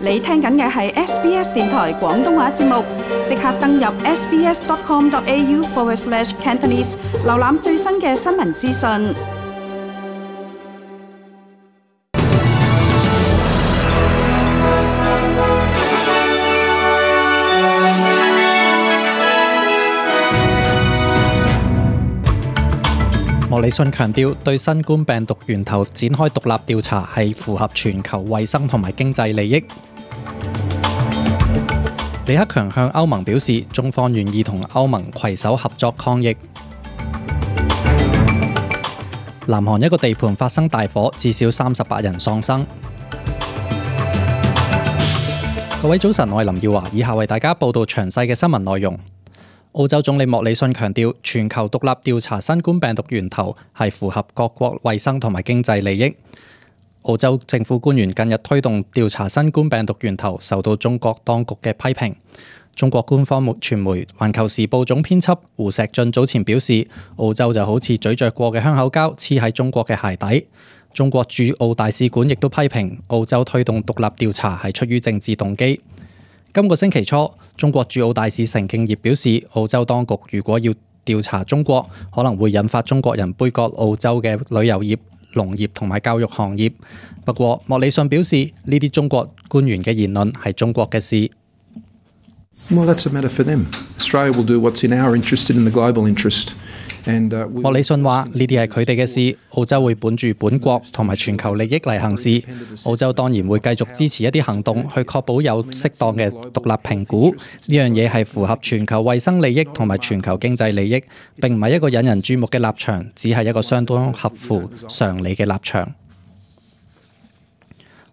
你聽緊嘅係 SBS 電台廣東話節目，即刻登入 sbs.com.au/Cantonese 瀏覽最新嘅新聞資訊。莫里遜強調，對新冠病毒源頭展開獨立調查係符合全球衛生同埋經濟利益。李克強向歐盟表示，中方願意同歐盟攜手合作抗疫。南韓一個地盤發生大火，至少38人喪生。各位早晨，我係林耀華，以下為大家報道詳細嘅新聞內容。澳洲總理莫里遜強調，全球獨立調查新冠病毒源頭係符合各國衛生同埋經濟利益。澳洲政府官員近日推動調查新冠病毒源頭，受到中國當局嘅批評。中國官方傳媒《環球時報》總編輯胡錫進早前表示，澳洲就好似咀嚼過嘅香口膠黐喺中國嘅鞋底。中國駐澳大使館亦都批評澳洲推動獨立調查係出於政治動機。今個星期初，中國駐澳大使成敬業表示，澳洲當局如果要調查中國，可能會引發中國人杯葛澳洲嘅旅遊業、農業同埋教育行業。不過，莫里遜表示，呢啲中國官員嘅言論係中國嘅事。Well, that's a matter for them. Australia will do what's in our interest and in the global interest. 莫里遜話：呢啲係佢哋嘅事，澳洲會本住本國同埋全球利益嚟行事。澳洲當然會繼續支持一啲行動，去確保有適當嘅獨立評估。呢樣嘢係符合全球衛生利益同埋全球經濟利益，並唔係一個引人注目嘅立場，只係一個相當合乎常理嘅立場。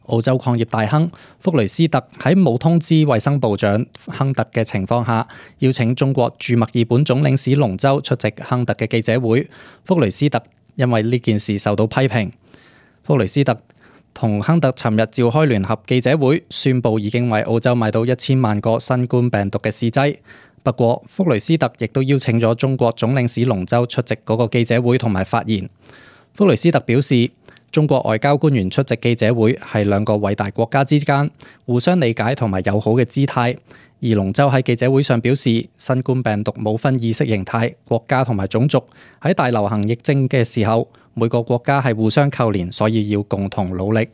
澳洲礦業大亨福雷斯特喺冇通知衛生部長亨特嘅情況下，邀請中國駐墨爾本總領事龍舟出席亨特嘅記者會。福雷斯特因為呢件事受到批評。福雷斯特同亨特尋日召開聯合記者會，宣布已經為澳洲買到1000萬個新冠病毒嘅試劑。不過，福雷斯特亦都邀請咗中國總領事龍舟出席嗰個記者會同埋發言。福雷斯特表示，中國外交官員出席記者會係兩個偉大國家之間互相理解同埋友好嘅姿態。而龍舟喺記者會上表示，新冠病毒冇分意識形態、國家同埋種族，喺大流行疫症嘅時候，每個國家係互相扣連，所以要共同努力。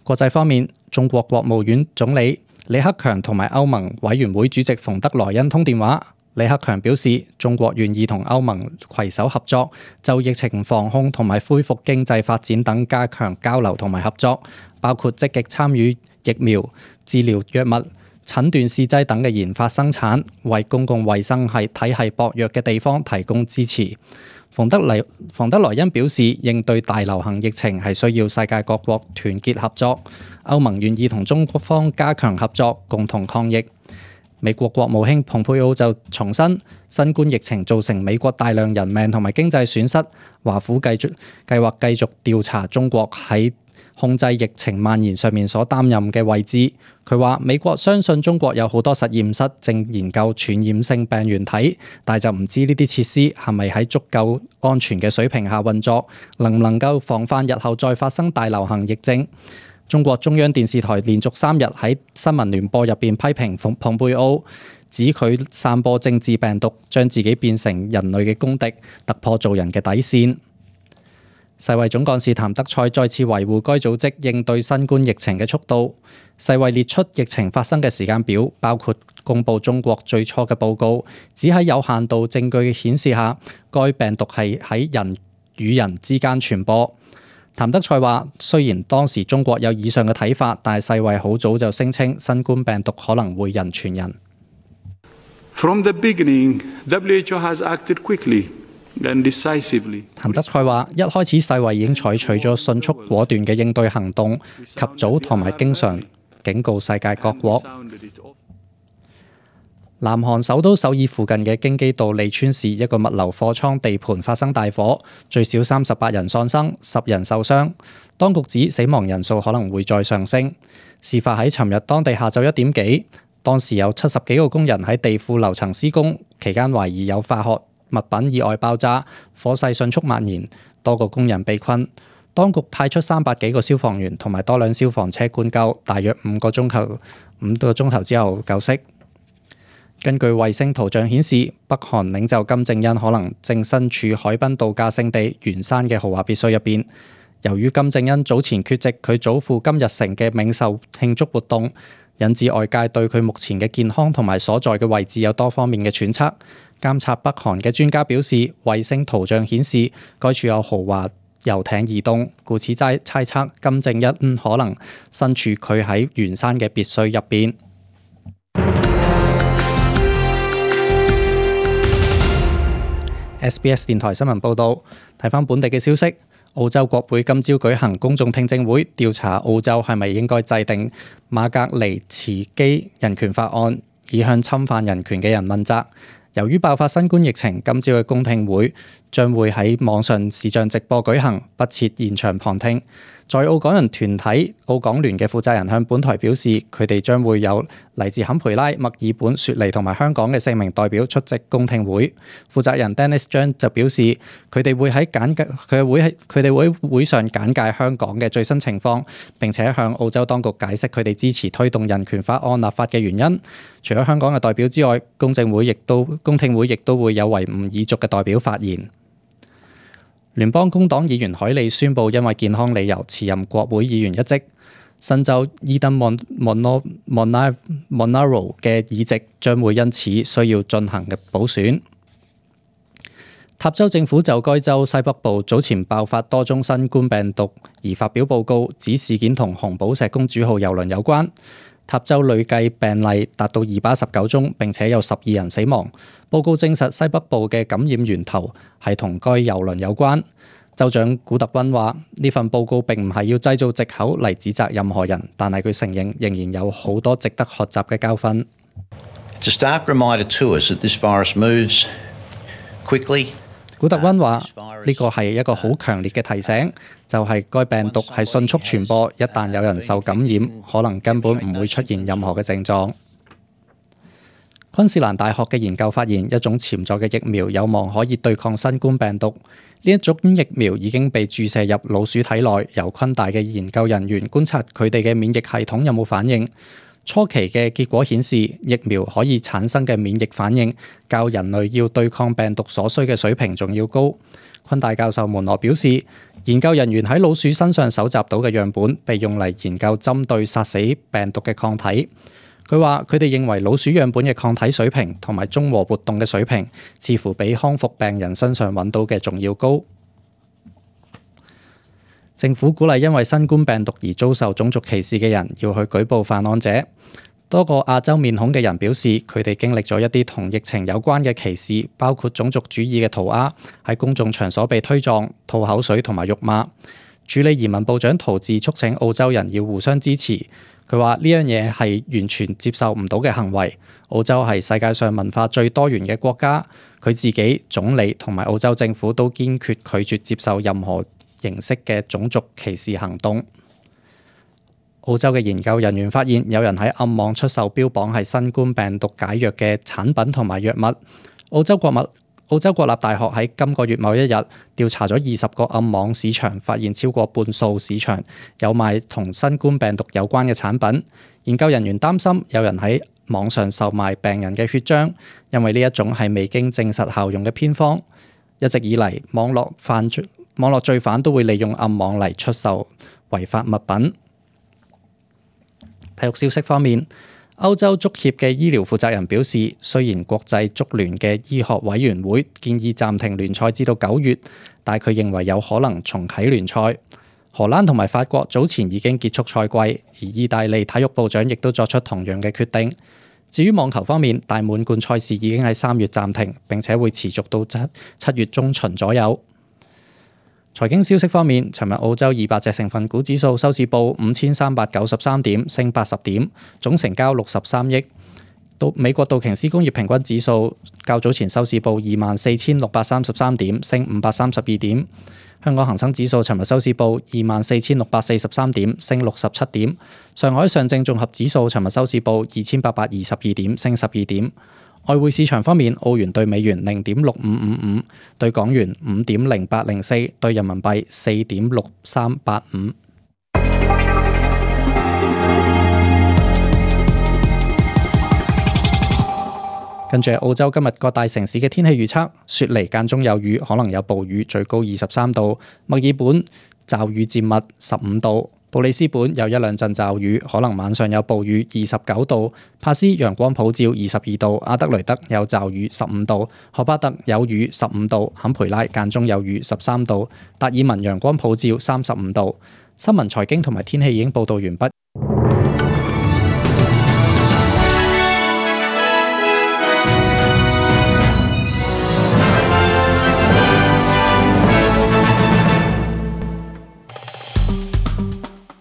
國際方面，中國國務院總理李克強同埋歐盟委員會主席馮德萊恩通電話。李克強表示，中國願意同歐盟攜手合作，就疫情防控同埋恢復經濟發展等加強交流同埋合作，包括積極參與疫苗、治療藥物、診斷試劑等嘅研發生產，為公共衛生體系薄弱嘅地方提供支持。馮德萊恩表示，應對大流行疫情係需要世界各國團結合作，歐盟願意同中方加強合作，共同抗疫。美國國務卿蓬佩奧就重申，新冠疫情造成美國大量人命同埋經濟損失，華府計劃繼續調查中國喺控制疫情蔓延上面所擔任嘅位置。佢話美國相信中國有好多實驗室正研究傳染性病原體，但就唔知呢啲設施係咪喺足夠安全嘅水平下運作，能唔能夠防範日後再發生大流行疫症。中國中央電視台連續3日喺新聞聯播入邊批評蓬佩奧，指佢散播政治病毒，將自己變成人類嘅公敵，突破做人嘅底線。世衛總幹事譚德塞再次維護該組織應對新冠疫情嘅速度。世衛列出疫情發生嘅時間表，包括公布中國最初嘅報告，只喺有限度證據顯示下，該病毒係喺人與人之間傳播。譚德塞話：雖然當時中國有以上嘅睇法，但係世衛好早就聲稱新冠病毒可能會人傳人。From the beginning, WHO has acted quickly and decisively. 譚德塞話：一開始世衛已經採取咗迅速果斷嘅應對行動，及早同埋經常警告世界各國。南韓首都首爾附近嘅京畿道利川市一個物流貨倉地盤發生大火，最少38人喪生，10人受傷。當局指死亡人數可能會再上升。事發喺尋日當地下晝1點幾，當時有70幾個工人喺地庫樓層施工，期間懷疑有化學物品意外爆炸，火勢迅速蔓延，多個工人被困。當局派出300幾個消防員同埋多輛消防車灌救，大約5個鐘頭之後救熄。根據衛星圖像顯示，北韓領袖金正恩可能正身處海濱度假勝地元山嘅豪華別墅入邊。由於金正恩早前缺席佢祖父金日成嘅冥壽慶祝活動，引致外界對佢目前嘅健康同埋所在嘅位置有多方面嘅揣測。監察北韓嘅專家表示，衛星圖像顯示該處有豪華遊艇移動，故此猜測金正恩可能身處佢喺元山嘅別墅入邊。SBS 電台新聞報導，睇返本地嘅消息，澳洲國會今朝舉行公眾聽證會，調查澳洲係咪應該制定馬格尼茨基人權法案，以向侵犯人權嘅人問責。由於爆發新冠疫情，今朝嘅公聽會將會喺網上視像直播舉行，不設現場旁聽。在澳港人團體澳港聯嘅負責人向本台表示，佢哋將會有嚟自坎培拉、墨爾本、雪梨同埋香港嘅4名代表出席公聽會。負責人 Dennis John 就表示，佢哋會喺會上簡介香港嘅最新情況，並且向澳洲當局解釋佢哋支持推動人權法案立法嘅原因。除咗香港嘅代表之外，公聽會亦都會有維吾爾族嘅代表發言。聯邦工黨議員海利宣布，因為健康理由辭任國會議員一職。新州伊登Monaro嘅議席將會因此需要進行嘅補選。塔州政府就該州西北部早前爆發多宗新冠病毒而發表報告，指事件同紅寶石公主號郵輪有關。塔州累計病例達到219宗，並且有12人死亡。報告證實西北部嘅感染源頭係同該郵輪有關。州長古特溫話：呢份報告並唔係要製造藉口嚟指責任何人，但係佢承認仍然有好多值得學習嘅教訓。It's a stark reminder to us that this virus moves quickly. 古特溫話：呢個係一個好強烈嘅提醒，就係該病毒係迅速傳播，一旦有人受感染，可能根本唔會出現任何嘅症狀。昆士蘭大學嘅研究發現，一種潛在嘅疫苗有望可以對抗新冠病毒。呢一種疫苗已經被注射入老鼠體內，由昆大嘅研究人員觀察佢哋嘅免疫系統有冇反應。初期嘅結果顯示，疫苗可以產生嘅免疫反應較人類要對抗病毒所需嘅水平仲要高。昆大教授門羅表示，研究人員喺老鼠身上搜集到嘅樣本被用嚟研究針對殺死病毒嘅抗體。佢話：佢哋認為老鼠樣本嘅抗體水平同埋中和活動嘅水平，似乎比康復病人身上揾到嘅仲要高。政府鼓勵因為新冠病毒而遭受種族歧視嘅人要去舉報犯案者。多個亞洲面孔嘅人表示，佢哋經歷咗一啲同疫情有關嘅歧視，包括種族主義嘅塗鴉、喺公眾場所被推撞、吐口水同埋辱罵。處理移民部長陶治促請澳洲人要互相支持。佢話呢樣嘢係完全接受唔到嘅行為。澳洲係世界上文化最多元嘅國家，佢自己、總理同埋澳洲政府都堅決拒絕接受任何形式嘅種族歧視行動。澳洲嘅研究人員發現，有人喺暗網出售標榜係新冠病毒解藥嘅產品同埋藥物。澳洲國立大學喺今個月某一日調查咗20個暗網市場，發現超過半數市場有賣同新冠病毒有關嘅產品。研究人員擔心有人喺網上售賣病人嘅血漿，因為呢一種係未經證實效用嘅偏方。一直以嚟，網絡罪犯都會利用暗網嚟出售違法物品。體育消息方面，歐洲足協嘅醫療負責人表示，雖然國際足聯嘅醫學委員會建議暫停聯賽至到9月，但佢認為有可能重啟聯賽。荷蘭同埋法國早前已經結束賽季，而意大利體育部長亦都作出同樣嘅決定。至於網球方面，大滿貫賽事已經喺3月暫停，並且會持續到7月中旬左右。財經消息方面，尋日澳洲200隻成分股指數收市報5393點，升80點，總成交63億。美國道瓊斯工業平均指數較早前收市報24,633點，升532點。香港恒生指數尋日收市報24,643點，升67點。上海上證綜合指數尋日收市報2822點，升12點。外匯市場方面，澳元對美元0.6555，對港元5.0804，對人民幣4.6385。跟住澳洲今日各大城市嘅天氣預測：雪梨間中有雨，可能有暴雨，最高23度；墨爾本驟雨漸密15度；布里斯本有一兩陣驟雨，可能晚上有暴雨29度；帕斯陽光普照22度；阿德雷德有驟雨15度；荷巴特有雨15度；坎培拉間中有雨13度；達爾文陽光普照35度。新聞財經同埋天氣已經報道完畢。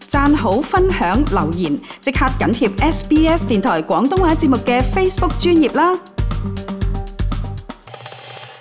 讚好、分享、留言，即刻緊貼SBS 電台廣東話節目嘅 Facebook 專頁啦！